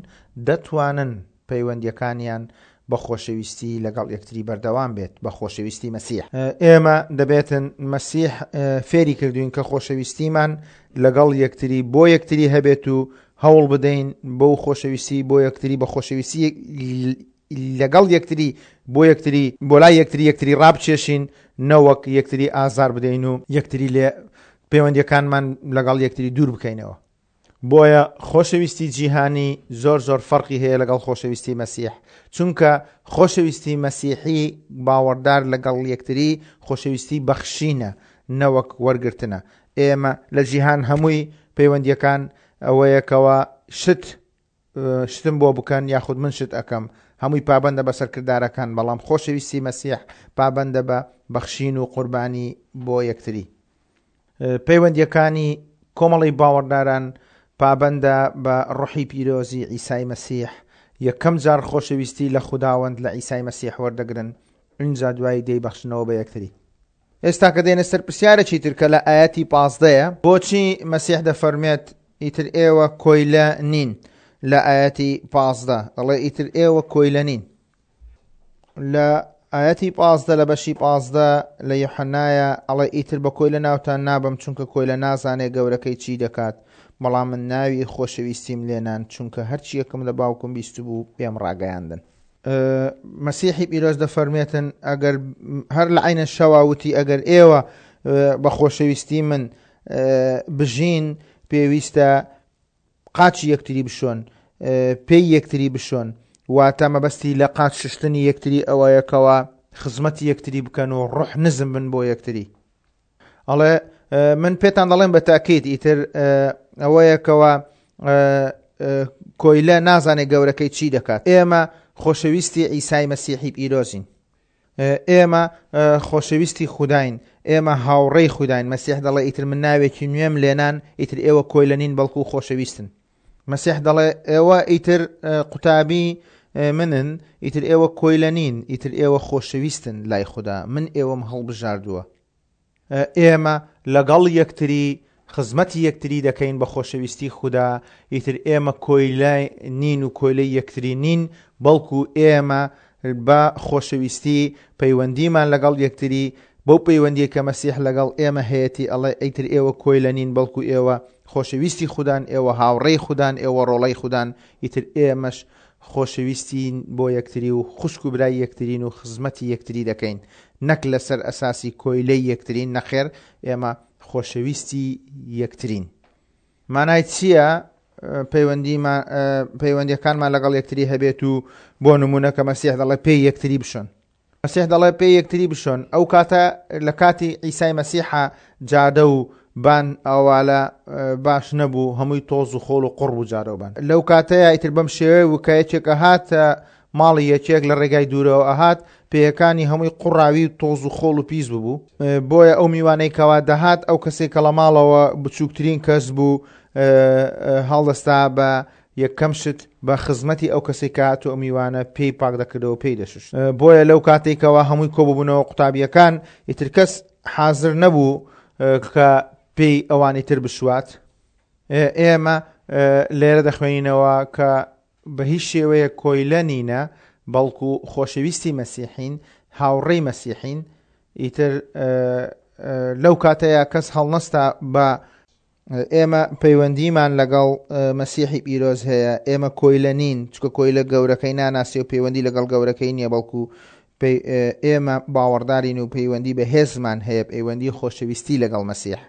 دەتوانن پەیوەندیەکانیان بە خۆشەویستی لەگەڵ یەکتری بەردەوام بێت، بە خۆشەویستی مەسیح. ئێمە دەبێتن مەسیح فێری کردوین کە خۆشەویستیمان لەگەڵ یەکتری بۆ یەکتری هەبێت و هەوڵ بدەین بەو خۆشەویستی بۆ یەکتری بە خۆشەویستی لەگەڵ یەکتری بۆ یەکتری بۆ لای یەکتری یەکتری ڕابچێشین نەوەک یەکتری ئازار بدەین و یەکتری لێ پەیوەندیەکانمان لەگەڵ یەکتری دوور بکەینەوە. بۆیە خۆشەویستی جیهانی زۆر زۆر فەرقی هەیە لەگەڵ خۆشەویستی مەسیح چونکە خۆشەویستی مەسیحی باوەڕدار لەگەڵ یەکتری خۆشەویستی بەخشینە نەوەک وەرگرتنە ئێمە لە جیهان هەمووی پەیوەندیەکان ئەوەیە کەوا شت شتم بۆ بکەن یاخود من شت ئەکەم هەمووی پابەندە بەسەر کردارەکان بەڵام خۆشەویستی مەسیح پابەندە بە بەخشین و قوربانی بۆ یەکتری پەیوەندیەکانی کۆمەڵی باوەڕداران پابەندە بە ڕۆحی پیرۆزی عیسای مەسیح یەکەم جار خۆشەویستی لە خوداوەند لە عیسای مەسیح وەردەگرن ئینجا دوایی دەیبەخشنەوە بە یەکتری ئێستا کە دێنە سەر پرسیارێکی تر کە لە ئایەتی پازدەیە، بۆچی مەسیح دەفەرموێت ئیتر ئێوە کۆیلە نین؟ لە ئایەتی 15 دەڵێ ئیتر ئێوە کۆیلە نین. لە ئایەتی 15 لە بەشی 15 لە یوحەنایە ئەڵێ ئیتر بە کۆیلە ناوتان نابەم چونکە کۆیلە نازانێ گەورەکەی چی دەکات بەڵام من ناوی خۆشەویستیم لێنان چونکە هەرچیەکم لە باوکم بیستبوو پێم ڕاگەیاندن. مەسیحی پیرۆز دەفەرمێتن ئەگەر هەر لە عینە شەوا وتی ئەگەر ئێوە بە خۆشەویستی من بژین پێویستە قاچی یەکتری بشۆن پێی یەکتری بشۆن واتە مەبەستی لە قاچ ششتنی یەکتری ئەوەیەکەوە خزمەتی یەکتری بکەن و ڕۆح نزم بن بۆ یەکتری ئەڵێ من پێتان دەڵێم بە تاکیت ئیتر ئەوەیەکەوە کۆیلە نازانێت گەورەکەی چی دەکات ئێمە خۆشەویستی ئیسای مەسیحی پیرۆزین ئێمە خۆشەویستی خوداین ئێمە هاوڕێی خوداین مەسیح دەڵێ ئیتر من ناوێکی نوێم لێنان ئیتر ئێوە کۆیلە نین بەڵکو خۆشەویستن مەسیح دەڵێ ئێوە ئیتر قوتابی منن ئیتر ئێوە کۆیلە نین ئیتر ئێوە خۆشەویستن لای خودا من ئێوەم هەڵبژاردووە ئێمە لەگەڵ یەکتری خزمەتی یەکتری دەکەین بە خۆشەویستی خودا، ئیتر ئێمە کۆیلە نین و کۆیلەی یەکتری نین، بەڵکو ئێمە بە خۆشەویستی پەیوەندیمان لەگەڵ یەکتری، بەو پەیوەندیەی کە مەسیح لەگەڵ ئێمە هەیەتی ئەڵێ ئیتر ئێوە کۆیلە نین بەڵکو ئێوە خۆشەویستی خودان، ئێوە هاوڕێی خودان، ئێوە ڕۆڵەی خودان، ئیتر ئێمەش خۆشەویستین بۆ یەکتری و خوشک و برای یەکترین و خزمەتی یەکتری دەکەین نەک لەسەر ئەساسی کۆیلەی یەکترین نەخێر ئێمە خۆشەویستی یەکترین. مانای چییە پەیوەندیەکانمان لەگەڵ یەکتری هەبێت و بۆ نمونە کە مەسیح دەڵێ پێی یەکتری بشۆن مەسیح دەڵێ پێی یەکتری بشۆن ئەو کاتە لە کاتی عیسای مەسیحە جادە و بان ئەوالە باش نەبوو هەمووی تۆز و خۆڵ و قوڕ بوو جارە و بان لەو کاتەیە ئیتر بەم شێوەیە و کە یەکێک ئەهاتە ماڵی یەکێک لە ڕێگای دوورەوە ئەهات پێیەکانی هەمووی قوڕاوی و تۆز و خۆڵ و پیس ببوو بۆیە ئەو میوانەی کەوا دەهات ئەو کەسێک کە لە ماڵەوە بچووکترین کەس بوو هەڵدەستا بە یەکەم شت بە خزمەتی ئەو کەسەی کە هاتوو ئەو میوانە پێی پاک دەکردەوە پێی دەشوشت بۆیە لەو کاتێک کەوا هەمووی کۆببوونەوە قوتابیەکان ئیتر کەس حازر نەبوو کە پێی ئەوانی تر بشوات ئێمە لێرە دەخوێنینەوە کە بە هیچ شێوەیە کۆیلە نینە بەڵکو خۆشەویستی مەسیحین هاوڕێی مەسیحین ئیتر لەو کاتەیە کەس هەڵنەستا بە ئێمە پەیوەندیمان لەگەڵ مەسیحی پیرۆز هەیە، ئێمە کۆیلە نین، چونکە کۆیلە گەورەکەی ناناسێ و پەیوەندی لەگەڵ گەورەکەی نییە، بەڵکو ئێمە باوەڕدارین و پەیوەندی بەهێزمان هەیە، پەیوەندی خۆشەویستی لەگەڵ مەسیح.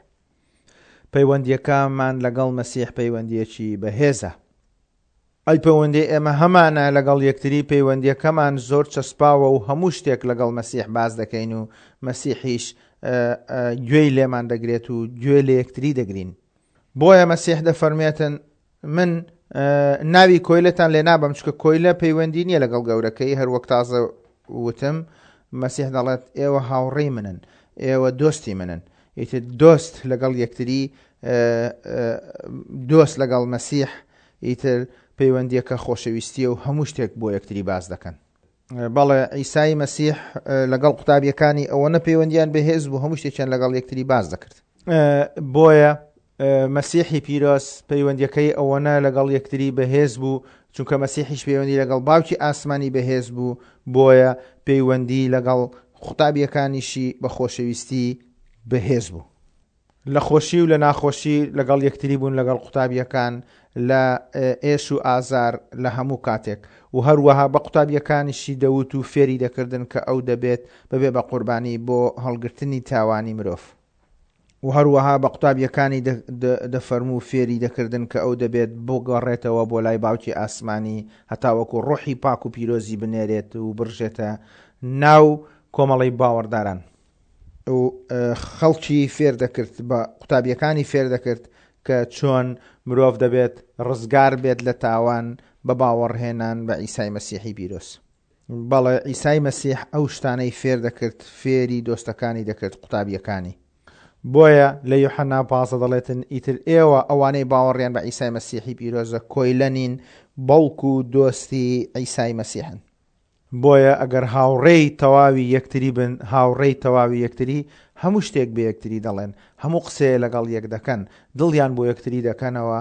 پەیوەندییەکەمان لەگەڵ مەسیح پەیوەندییەکی بەهێزە. ئەی پەیوەندی ئێمە هەمانە لەگەڵ یەکتری، پەیوەندییەکەمان زۆر چەسپاوە و هەموو شتێک لەگەڵ مەسیح باس دەکەین و مەسیحیش گوێی لێمان دەگرێت و گوێ لە یەکتری دەگرین. بۆیە مەسیح دەفەرمێتن، من ناوی کۆیلەتان لێ نابەم، چونکە کۆیلە پەیوەندی نییە لەگەڵ گەورەکەی، هەروەک تازە وتم، مەسیح دەڵێت ئێوە هاوڕێی منن، ئێوە دۆستی منن. ئیتر دۆست لەگەڵ یەکتری، دۆست لەگەڵ مەسیح ئیتر پەیوەندیەکە خۆشەویستیە و هەموو شتێک بۆ یەکتری باس دەکەن. بەڵێ عیسای مەسیح لەگەڵ قوتابیەکانی ئەوەنە پەیوەندیان بەهێز بوو هەموو شتێکیان لەگەڵ یەکتری باس دەکرد. بۆیە مەسیحی پیرۆز پەیوەندیەکەی ئەوەنە لەگەڵ یەکتری بەهێز بوو چونکە مەسیحیش پەیوەندی لەگەڵ باوکی ئاسمانی بەهێز بوو بۆیە پەیوەندی لەگەڵ قوتابیەکانیشی بە خۆشەویستی بەهێز بوو. لە خۆشی و لە ناخۆشی لەگەڵ یەکتری بوون لەگەڵ قوتابیەکان لە ئێش و ئازار لە هەموو کاتێک و هەروەها بە قوتابیەکانیشی دەوت و فێری دەکردن کە ئەو دەبێت ببێ بە قوربانی بۆ هەڵگرتنی تاوانی مرۆڤ و هەروەها بە قوتابیەکانی دەفەرموو فێری دەکردن کە ئەو دەبێت بگەڕێتەوە بۆ لای باوکی ئاسمانی هەتاوەکو ڕۆحی پاک و پیرۆزی بنێرێت و بڕژێتە ناو کۆمەڵەی باوەڕداران. و خەڵکی فێر دەکرد بە قوتابیەکانی فێر دەکرد کە چۆن مرۆڤ دەبێت ڕزگار بێت لە تاوان بە باوەڕهێنان بە عیسای مەسیحی پیرۆز. بەڵێ عیسای مەسیح ئەو شتانەی فێر دەکرد فێری دۆستەکانی دەکرد قوتابیەکانی. بۆیە لە یوحەنا 15 دەڵێتن ئیتر ئێوە ئەوانەی باوەڕیان بە عیسای مەسیحی پیرۆزە کۆیلە نین بەڵکو دۆستی عیسای مەسیحن. بۆیە ئەگەر هاوڕێی تەواوی یەکتری بن، هاوڕێی تەواوی یەکتری، هەموو شتێک بە یەکتری دەڵێن، هەموو قسەیە لەگەڵ یەک دەکەن، دڵیان بۆ یەکتری دەکەنەوە،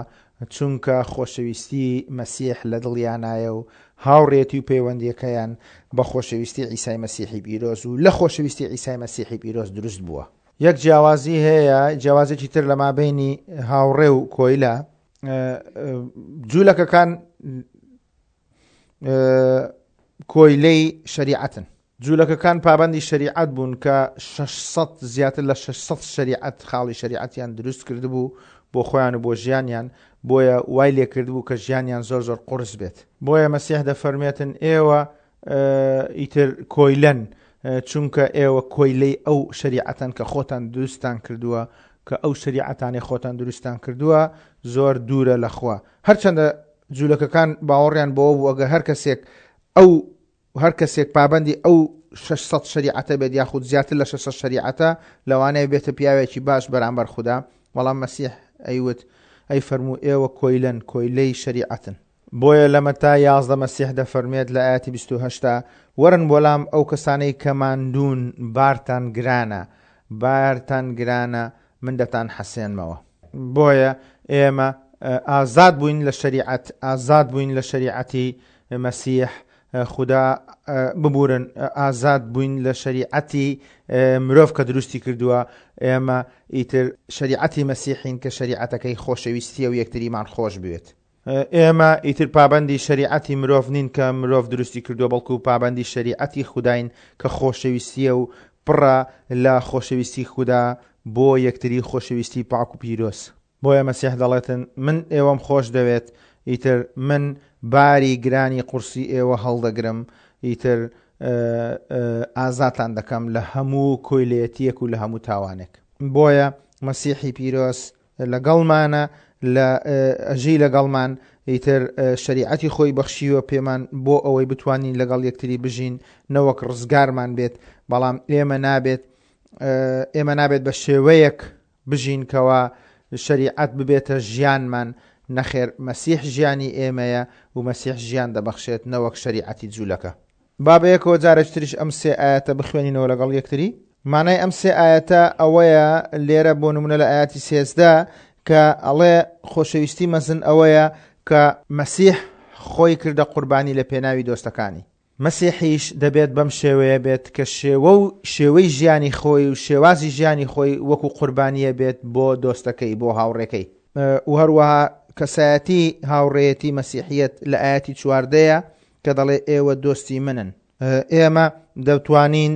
چونکە خۆشەویستی مەسیح لە دڵیانایە و هاوڕێتی و پەیوەندیەکەیان بە خۆشەویستی عیسای مەسیحی پیرۆز و لە خۆشەویستی عیسای مەسیحی پیرۆز دروست بووە. یەک جیاوازی هەیە، جیاوازێکی تر لە مابەینی هاوڕێ و کۆیلە، جوولەکەکان کۆیلەی شەریعەتن. جوولەکەکان پابەندی شەریعەت بوون کە 600 زیاتر لە 600 شەریعەت خاڵی شەریعەتیان دروست کردبوو بۆ خۆیان و بۆ ژیانیان، بۆیە وای لێکردبوو کە ژیانیان زۆر زۆر قورس بێت. بۆیە مەسیح دەفەرمێتن ئێوە ئیتر کۆیلەن، چونکە ئێوە کۆیلەی ئەو شەریعەتەن کە خۆتان دروستتان کردووە، کە ئەو شەریعەتانەی خۆتان دروستتان کردووە زۆر دوورە لە خوا. هەرچەندە جوولەکەکان باوەڕیان بەوە بوو ئەگەر هەر کەسێک ئەو هەر کەسێک پابەندی ئەو 600 شەریعەتە بێت یاخود زیاتر لە 600 شەریعەتە لەوانەیە بێتە پیاوێکی باش بەرامبەر خودا، بەڵام مەسیح ئەیوت ئەی فەرموو ئێوە کۆیلەن، کۆیلەی شەریعەتن. بۆیە لە مەتا 11 مەسیح دەفەرموێت لە ئایەتی 28 دا، وەرن بۆ لام ئەو کەسانەی کە ماندوون، بارتان گرانە، بارتان گرانە، من دەتانحەسێنمەوە. بۆیە ئێمە ئازاد بووین لە شەریعەت، ئازاد بووین لە شەریعەتی مەسیح، خودا ببورن، ئازاد بووین لە شەریعەتی مرۆڤ کە دروستی کردووە، ئێمە ئیتر شەریعەتی مەسیحین کە شەریعەتەکەی خۆشەویستیە و یەکتریمان خۆش بوێت. ئێمە ئیتر پابەندی شەریعەتی مرۆڤ نین کە مرۆڤ دروستی کردووە، بەڵکو پابەندی شەریعەتی خوداین کە خۆشەویستییە و پڕە لە خۆشەویستی خودا بۆ یەکتری، خۆشەویستی پاک و پیرۆز. بۆیە مەسیح دەڵێتن، من ئێوەم خۆش دەوێت، ئیتر من باری گرانی قورسی ئێوە هەڵدەگرم، ئیتر ئازادتان دەکەم لە هەموو کۆیلەیەتییەک و لە هەموو تاوانێک. بۆیە مەسیحی پیرۆز لەگەڵمانە لە ئەژی لەگەڵمان ئیتر شەریعەتی خۆی بەخشیوە پێمان بۆ ئەوەی بتوانین لەگەڵ یەکتری بژین نەوەک ڕزگارمان بێت بەڵام ئێمە نابێت ئێمە نابێت بە شێوەیەک بژین کەوا شەریعەت ببێتە ژیانمان نەخێر مەسیح ژیانی ئێمەیە و مەسیح ژیان دەبەخشێت نەوەک شەریعەتی جوولەکە. با بەیەکەوە جارێکی تریش ئەم سێ ئایەتە بخوێنینەوە لەگەڵ یەکتری. مانای ئەم سێ ئایەتە ئەوەیە لێرە بۆ نمونە لە ئایەتی 13 کە ئەڵێ خۆشەویستی مەزن ئەوەیە کە مەسیح خۆی کردە قوربانی لە پێناوی دۆستەکانی. مەسیحیش دەبێت بەم شێوەیە بێت کە شێوە و شێوەی ژیانی خۆی و شێوازی ژیانی خۆی وەکو قوربانیە بێت بۆ دۆستەکەی بۆ هاوڕێکەی. و هەروەها کەسایەتی هاوڕێیەتی مەسیحیەت لە ئایەتی چواردەیە کە دەڵێ ئێوە دۆستی منن. ئێمە دەتوانین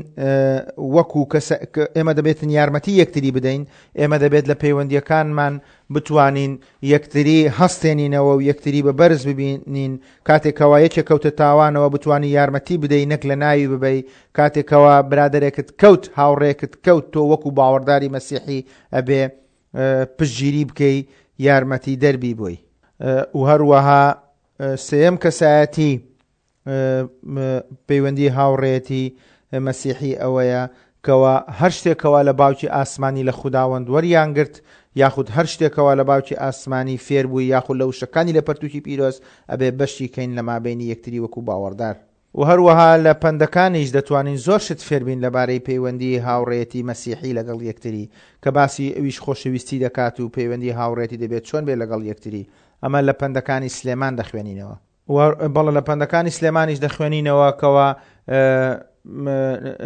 وەکو کەس ئێمە دەبێتن یارمەتی یەکتری بدەین، ئێمە دەبێت لە پەیوەندیەکانمان بتوانین یەکتری هەستێنینەوە و یەکتری بە بەرز ببینین، کاتێکەوە یەکێک کەوتە تاوانەوە بتوانی یارمەتی بدەی نەک لە ناوی ببەی، کاتێکەوە برادەرێکت کەوت هاوڕێکت کەوت تۆ وەکو باوەڕداری مەسیحی ئەبێ پشتگیری بکەی یارمەتی دەربی بۆی. و هەروەها سێیەم کەسایەتی پەیوەندی هاوڕێیەتی مەسیحی ئەوەیە کەوا هەر شتێکەوە لە باوکی ئاسمانی لە خوداوەند وەریان گرت یاخود هەر شتێکەوە لە باوکی ئاسمانی فێربووی یاخود لە وشەکانی لە پەرتوکی پیرۆز ئەبێ بەشی کەین لە مابەینی یەکتری وەکو باوەڕدار. و هەروەها لە پەندەکانیش دەتوانین زۆر شت فێربین لەبارەی پەیوەندی هاوڕێیەتی مەسیحی لەگەڵ یەکتری کە باسی ئەویش خۆشەویستی دەکات و پەیوەندی هاوڕێتی دەبێت چۆن بێت لەگەڵ یەکتری ئەمە لە پەندەکانی سلێمان دەخوێنینەوە. و بەڵێ لە پەندەکانی سلێمانیش دەخوێنینەوە کەوا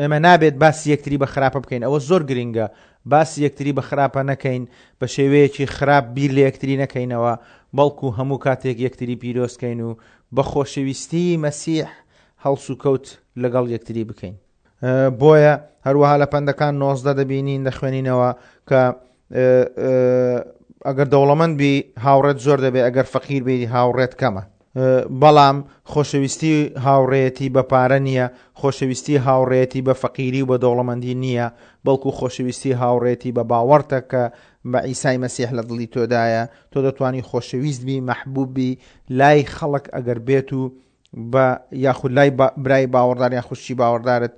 ئێمە نابێت باسی یەکتری بە خراپە بکەین ئەوە زۆر گرنگە باسی یەکتری بە خراپە نەکەین بە شێوەیەکی خراپ بیر لە یەکتری نەکەینەوە بەڵکو هەموو کاتێک یەکتری پیرۆزکەین و بە خۆشەویستی مەسیح هەڵسوکەوت لەگەڵ یەکتری بکەین. بۆیە هەروەها لە پەندەکان 19 دەبینین دەخوێنینەوە کە ئەگەر دەوڵەمەند بی هاوڕێت زۆر دەبێت ئەگەر فەقیر بی هاوڕێت کەمە. بەڵام خۆشەویستی هاوڕێیەتی بە پارە نییە، خۆشەویستی هاوڕێیەتی بە فەقیری و بە دەوڵەمەندی نییە، بەڵکو خۆشەویستی هاوڕێیەتی بە باوەڕتە کە بە عیسای مەسیح لە دڵی تۆدایە، تۆ دەتوانی خۆشەویست بی، مەحبوب بی لای خەڵک ئەگەر بێت و بە یاخود لای برای باوەڕدار یان خوشکی باوەڕدارت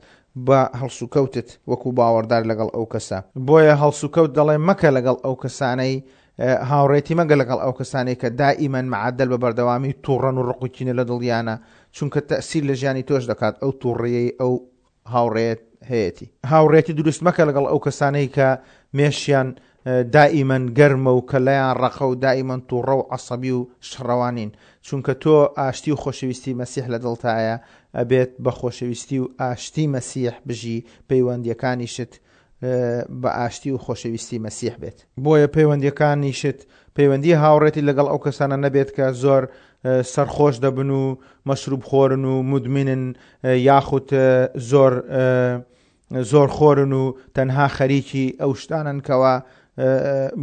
بە هەڵسوکەوتت وەکو باوەڕدار لەگەڵ ئەو کەسە. بۆیە هەڵسوکەوت دەڵێ مەکە لەگەڵ ئەو کەسانەی هاوڕێتی مەگە لەگەڵ ئەو کەسانەی کە دائیمەن مەعەدەل بە بەردەوامی توڕەن و ڕق و کینە لە دڵیانە چونکە تەئسیر لە ژیانی تۆش دەکات ئەو توڕەیەی ئەو هاوڕێیەت هەیەتی. هاوڕێیەتی دروست مەکە لەگەڵ ئەو کەسانەی کە مێشیان دائیمەن گەرمە و کەلەیان ڕەقە و دائیمەن توڕە و عەسەبی و شەڕەوانین، چونکە تۆ ئاشتی و خۆشەویستی مەسیح لە دڵتایە، ئەبێت بە خۆشەویستی و ئاشتی مەسیح بژی، پەیوەندیەکانیشت بە ئاشتی و خۆشەویستی مەسیح بێت. بۆیە پەیوەندیەکانیشت پەیوەندی هاوڕێتی لەگەڵ ئەو کەسانە نەبێت کە زۆر سەرخۆش دەبن و مەشروب خۆرن و مدمنن یاخود زۆر زۆر خۆرن و تەنها خەریکی ئەو شتانن کەوا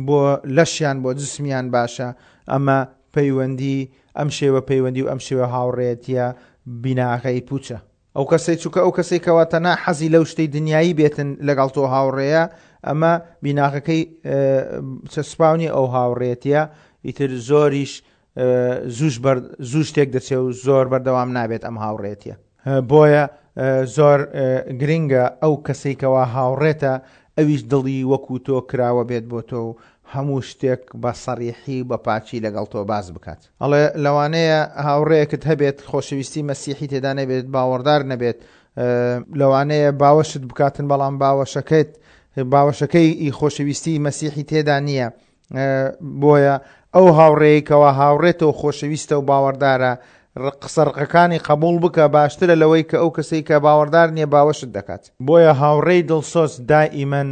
بۆ لەشیان بۆ جسمیان باشە ئەمە پەیوەندی ئەم شێوە پەیوەندی و ئەم شێوە هاوڕێتیە بیناغەی پوچە. ئەو کەسەی چونکە ئەو کەسەی کەوا تەنها حەزی لەو شتەی دنیایی بێتن لەگەڵ تۆ هاوڕێیە ئەمە بیناغەکەی چەسپاو نیە ئەو هاوڕێتیە ئیتر زۆریش زوش بەر زوش تێک دەچێ و زۆر بەردەوام نابێت ئەم هاوڕێتیە بۆیە زۆر گرنگە ئەو کەسەی کەوا هاوڕێتە ئەویش دڵی وەکو تۆ کراوە بێت بۆ تۆ و هەموو شتێک بە سەریحی و بە پاکی لەگەڵ تۆ باس بکات. ئەڵێ لەوانەیە هاوڕێیەکت هەبێت خۆشەویستی مەسیحی تێدا نەبێت، باوەڕدار نەبێت، لەوانەیە باوەشت بکاتن بەڵام باوەشەکەت باوەشەکەی ئی خۆشەویستی مەسیحی تێدا نییە، بۆیە ئەو هاوڕێی کەوا هاوڕێتە و خۆشەویستە و باوەڕدارە قسە ڕقەکانی قبوڵ بکە باشترە لەوەی کە ئەو کەسەی کە باوەڕدار نییە باوەشت دەکات. بۆیە هاوڕێی دڵسۆز دائیمەن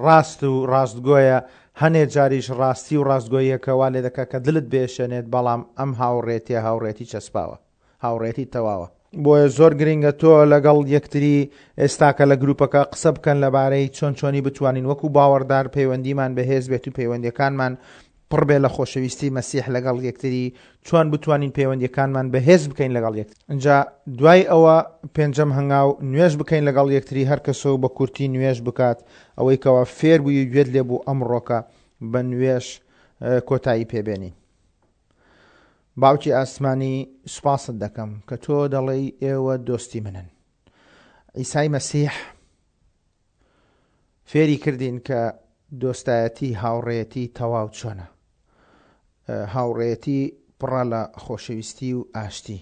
ڕاست و ڕاستگۆیە، هەنێ جاریش ڕاستی و ڕاستگۆییەکە وا لێدەکا کە دلت بێشێنێت، بەڵام ئەم هاوڕێتیە هاوڕێتی چەسپاوە. هاوڕێتی تەواوە. بۆیە زۆر گرینگە تۆ لەگەڵ یەکتری ئێستاکە لە گروپەکە قسە بکەن لەبارەی چۆن چۆنی بتوانین وەکو باوەڕدار پەیوەندیمان بەهێز بێت و پەیوەندیەکانمان پڕ بێ لە خۆشەویستی مەسیح لەگەڵ یەکتری چۆن بتوانین پەیوەندیەکانمان بەهێز بکەین لەگەڵ یەکتری ئینجا دوای ئەوە پێنجەم هەنگاو نوێژ بکەین لەگەڵ یەکتری هەر کەسە و بە کورتی نوێژ بکات ئەوەی کەوا فێر بووی و گوێت لێ بوو ئەمڕۆکە بە نوێژ کۆتایی پێبێنین. باوکی ئاسمانی سوپاست دەکەم کە تۆ دەڵێی ئێوە دۆستی منن. عیسای مەسیح فێری کردین کە دۆستایەتی هاوڕێیەتی تەواو چۆنە. هاوڕێیەتی پڕە لە خۆشەویستی و ئاشتی.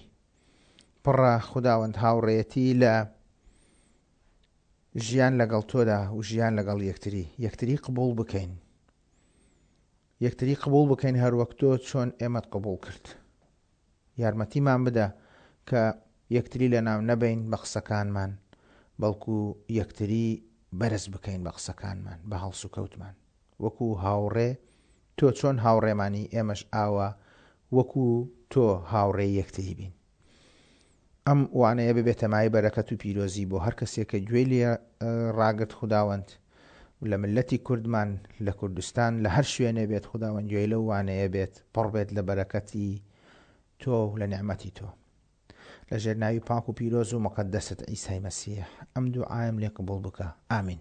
پڕە خوداوەند هاوڕێیەتی لە ژیان لەگەڵ تۆدا و ژیان لەگەڵ یەکتری. یەکتری قبوڵ بکەین. یەکتری قبوڵ بکەین هەروەک تۆ چۆن ئێمەت قبوڵ کرد. یارمەتیمان بدە کە یەکتری لەناو نەبەین بە قسەکانمان، بەڵکو یەکتری بەرز بکەین بە قسەکانمان، بە هەڵسوکەوتمان. وەکو هاوڕێ، تۆ چۆن هاوڕێمانی ئێمەش ئاوا وەکو تۆ هاوڕێی یەکتری بین. ئەم وانەیە ببێتە مایەی بەرەکەت و پیرۆزی بۆ هەر کەسێک کە گوێی لێ ڕاگرت خوداوەند لە ملەتی کوردمان لە کوردستان لە هەر شوێنێ بێت خوداوەند گوێی لەو وانەیە بێت پڕ بێت لە بەرەکەتی تۆ و لە نیعمەتی تۆ لە ژێر ناوی پاک و پیرۆز و مقەدەست عیسای مەسیح ئەم دوعایم لێ قبوڵ بکە ئامین.